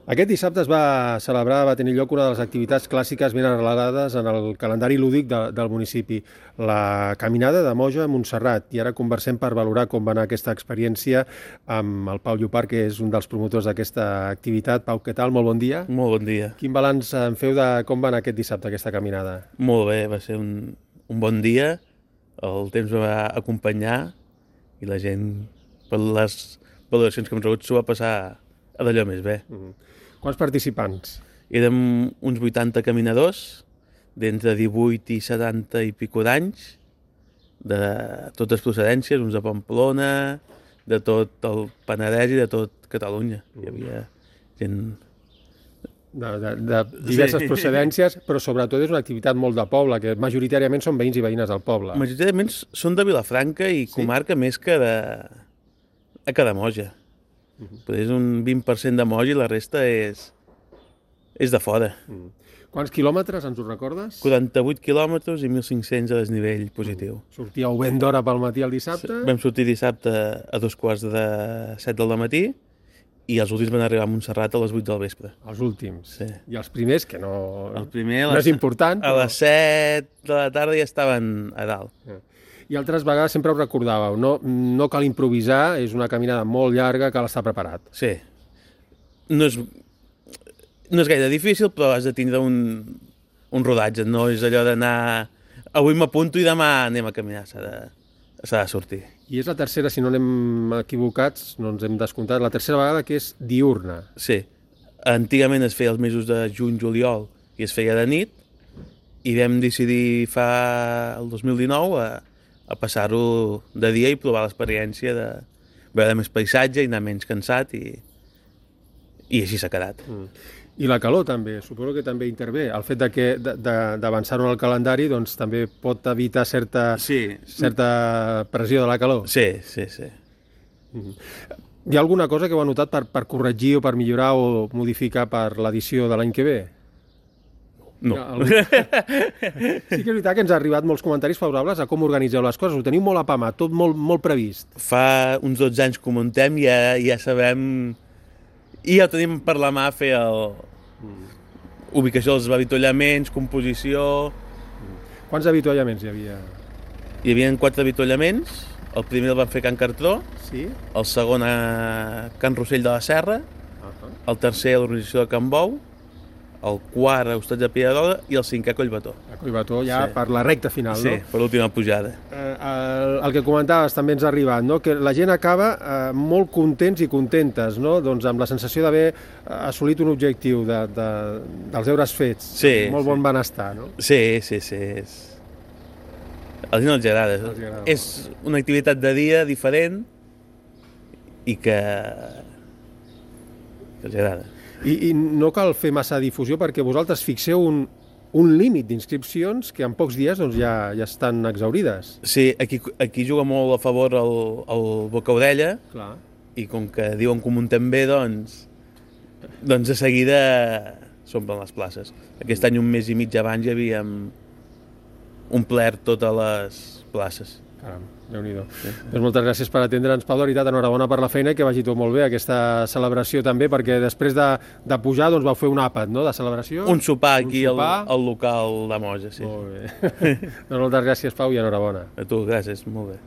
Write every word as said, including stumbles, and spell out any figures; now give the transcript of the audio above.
Aquest dissabte es va celebrar, va tenir lloc una de les activitats clàssiques ben arrelades en el calendari lúdic de, del municipi, la Caminada de Moja a Montserrat. I ara conversem per valorar com va anar aquesta experiència amb el Pau Llopart, que és un dels promotors d'aquesta activitat. Pau, què tal? Molt bon dia. Molt bon dia. Quin balanç en feu de com va anar aquest dissabte, aquesta caminada? Molt bé, va ser un, un bon dia, el temps va acompanyar i la gent, per les valoracions que hem rebut, s'ho va passar a d'allò més bé. Mm. Quants participants? Érem uns vuitanta caminadors, d'entre divuit i setanta i pico d'anys, de totes procedències, uns de Pamplona, de tot el Penedès i de tot Catalunya. Hi havia gent... De, de, de diverses Sí. procedències, però sobretot és una activitat molt de poble, que majoritàriament són veïns i veïnes del poble. Majoritàriament són de Vilafranca i Sí? comarca més que de, que de Moja. Uh -huh. És un vint per cent de Moja i la resta és, és de fora. Mm. Quants quilòmetres, ens ho recordes? quaranta-vuit quilòmetres i mil cinc-cents a desnivell positiu. Sortíeu ben d'hora pel matí el dissabte? Vam sortir dissabte a dos quarts de set del matí i els últims van arribar a Montserrat a les vuit del vespre. Els últims. Sí. I els primers, que no, El primer a no les, és important. a les set de la tarda ja estaven a dalt. I altres vegades sempre ho recordàveu, no, no cal improvisar, és una caminada molt llarga, cal estar preparat. Sí. No és, no és gaire difícil, però has de tindre un, un rodatge. No és allò d'anar... Avui m'apunto i demà anem a caminar. S'ha de, s'ha de sortir. I és la tercera, si no anem equivocats, no ens hem descomptat, la tercera vegada que és diurna. Sí. Antigament es feia els mesos de juny-juliol i es feia de nit i vam decidir fa el dos mil dinou a, a passar-ho de dia i provar l'experiència de veure més paisatge i anar menys cansat i, i així s'ha quedat. Mm. I la calor també, suposo que també intervé. El fet de que d'avançar-ho en el calendari doncs, també pot evitar certa, Sí. certa pressió de la calor. Sí, sí, sí. Mm. Hi ha alguna cosa que heu notat per, per corregir o per millorar o modificar per l'edició de l'any que ve? No. Algun... Sí que és veritat que ens ha arribat molts comentaris favorables a com organitzeu les coses. Ho teniu molt apamat, tot molt, molt previst. Fa uns dotze anys que ho muntem i ja, ja sabem... I ja ho tenim per la mà fer el... Mm. Ubicació dels avituallaments, composició... Mm. Quants avituallaments hi havia? Hi havia quatre avituallaments. El primer el van fer a Can Cartró, Sí? el segon a Can Rossell de la Serra, Uh-huh. el tercer a l'organització de Can Bou, el quart a Hostats de Pierarola i el cinquè a Collbató. A Collbató ja Sí. per la recta final, Sí, no? per l'última pujada. Eh, el, el que comentaves també ens ha arribat, no? Que la gent acaba eh, molt contents i contentes, no? Doncs amb la sensació d'haver assolit un objectiu de, de, dels deures fets, Sí, molt sí. bon benestar, no? Sí, sí, sí. És... A la gent els agrada. Els agrada És una activitat de dia diferent i que, que els agrada. I, I no cal fer massa difusió perquè vosaltres fixeu un, un límit d'inscripcions que en pocs dies doncs, ja, ja estan exaurides. Sí, aquí, aquí juga molt a favor el, el Bocaudella Clar. i com que diuen que ho muntem bé, doncs, doncs de seguida s'omplen les places. Aquest any, un mes i mig abans, ja havíem omplert totes les places. Caram, Déu-n'hi-do. Sí. Doncs moltes gràcies per atendre'ns, Pau, de veritat, enhorabona per la feina i que vagi tot molt bé aquesta celebració també, perquè després de, de pujar doncs, vau fer un àpat, no?, de celebració. Un sopar aquí un sopar. Al, al local de Moja, sí. Molt bé. Doncs moltes gràcies, Pau, i enhorabona. A tu, gràcies, molt bé.